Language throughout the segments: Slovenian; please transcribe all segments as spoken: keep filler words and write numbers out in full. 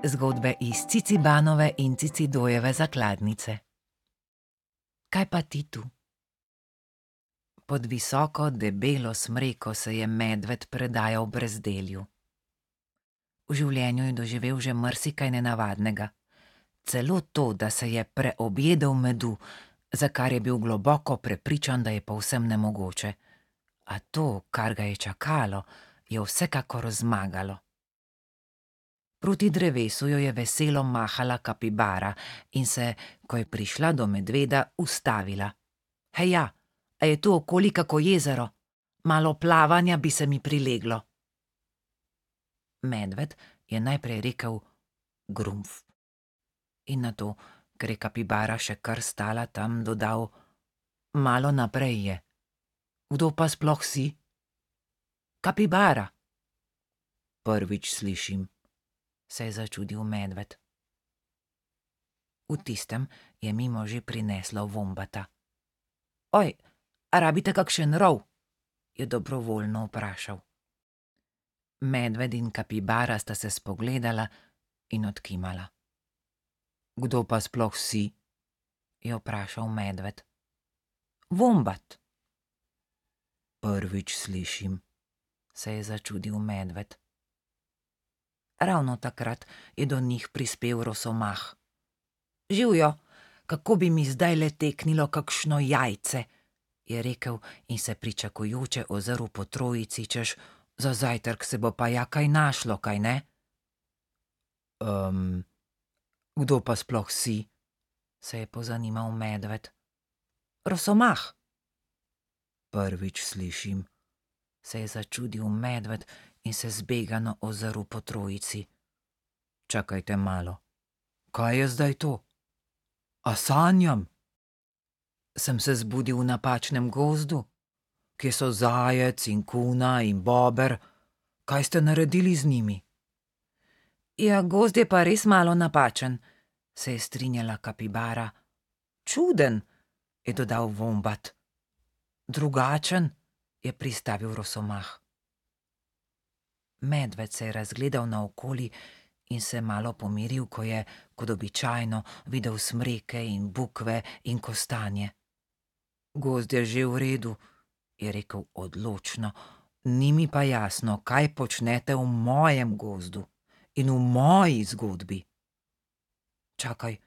Zgodbe iz Cicibanove in Cicidojeve zakladnice. Kaj pa ti tu? Pod visoko, debelo smreko se je medved predajal brezdelju. V življenju je doživel že marsikaj nenavadnega. Celo to, da se je preobjedel medu, za kar je bil globoko prepričan, da je povsem nemogoče. A to, kar ga je čakalo, je vsekakor zmagalo. Proti drevesu jo je veselo mahala kapibara in se, ko je prišla do medveda, ustavila. Heja, a je tu okoli kako jezero? Malo plavanja bi se mi prileglo. Medved je najprej rekel grumf. In nato, ker je kapibara še kar stala tam, dodal: malo naprej je. Kdo pa sploh si? Kapibara. Prvič slišim, se je začudil medved. V tistem je mimo že prineslo vombata. Oj, a rabite kakšen rov? Je dobrovoljno vprašal. Medved in kapibara sta se spogledala in odkimala. Kdo pa sploh si? Je vprašal medved. Vombat. Prvič slišim, se je začudil medved. Ravno takrat je do njih prispel rosomah. Živjo, kako bi mi zdaj le teknilo kakšno jajce, je rekel in se pričakujoče ozrl po trojici, češ, za zajtrk se bo pa ja kaj našlo, kaj ne? Um, kdo pa sploh si? Se je pozanimal medved. Rosomah. Prvič slišim, se je začudil medved in se zbegano ozrl po trojici. Čakajte malo, kaj je zdaj to? A sanjam? Sem se zbudil v napačnem gozdu? Kje so zajec in kuna in bober? Kaj ste naredili z njimi? Ja, gozd je pa res malo napačen, se je strinjala kapibara. Čuden, je dodal vombat. Drugačen, je pristavil rosomah. Medved se je razgledal naokoli in se malo pomiril, ko je, kot običajno, videl smreke in bukve in kostanje. Gozd je že v redu, je rekel odločno, ni mi pa jasno, kaj počnete v mojem gozdu in v moji zgodbi. Čakaj,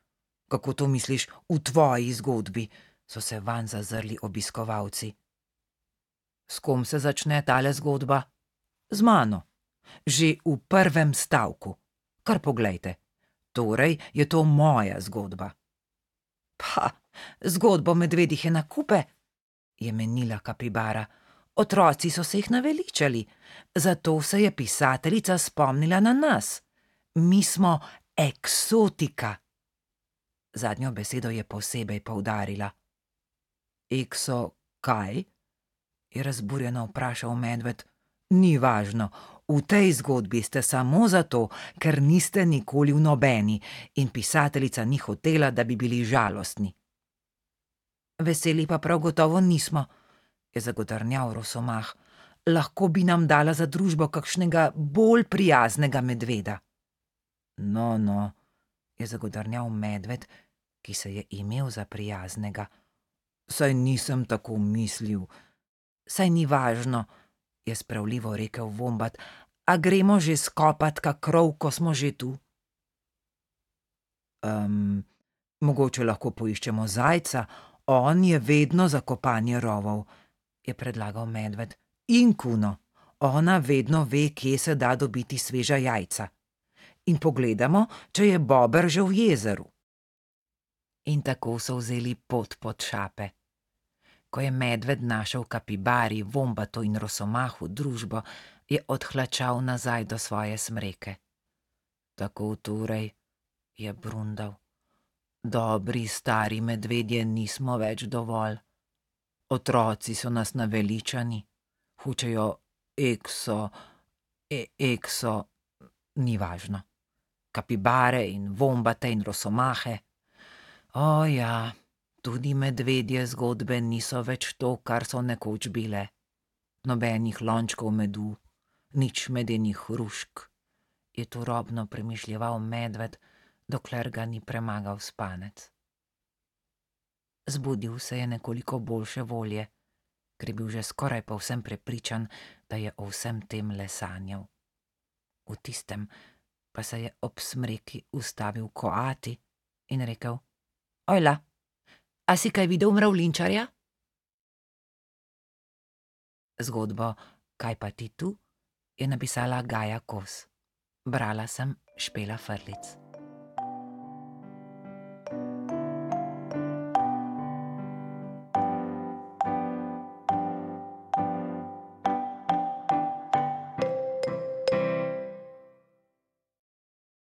kako to misliš v tvoji zgodbi? So se vanj zazrli obiskovalci. S kom se začne tale zgodba? Z mano. Že v prvem stavku. Kar poglejte. Torej je to moja zgodba. Pa, zgodbo medvedih je na kupe, je menila kapibara. Otroci so se jih naveličali, zato se je pisateljica spomnila na nas. Mi smo eksotika. Zadnjo besedo je posebej poudarila. Ekso kaj? Je razburjeno vprašal medved. Ni važno, v tej zgodbi ste samo zato, ker niste nikoli v nobeni in pisateljica ni hotela, da bi bili žalostni. Veseli pa prav gotovo nismo, je zagodrnjal rosomah. Lahko bi nam dala za družbo kakšnega bolj prijaznega medveda. No, no, je zagodrnjal medved, ki se je imel za prijaznega. Saj nisem tako mislil. Saj ni važno, je spravljivo rekel vombat. A gremo že skopat kak rov, ko smo že tu? Um, mogoče lahko poiščemo zajca, on je vedno za kopanje rovov, je predlagal medved. In kuno, ona vedno ve, kje se da dobiti sveža jajca. In pogledamo, če je bober že v jezeru. In tako so vzeli pot pod šape. Ko je medved našel kapibari, vombatu in rosomahu družbo, je odhlačal nazaj do svoje smreke. Tako torej, je brundal. Dobri stari medvedje nismo več dovolj. Otroci so nas naveličani, hučejo ekso, e, ekso, ni važno. Kapibare in vombate in rosomahe. O ja, tudi medvedje zgodbe niso več to, kar so nekoč bile. Nobenih lončkov medu, nič medenih hrušk. je turobno premišljeval medved, dokler ga ni premagal spanec. Zbudil se je nekoliko boljše volje, ker je bil že skoraj povsem prepričan, da je o vsem tem le sanjal. V tistem pa se je ob smreki ustavil Koati in rekel: Ojla, a si kaj videl mravljinčarja? Zgodbo Kaj pa ti tu je napisala Gaja Kos. Brala sem Špela Frlic.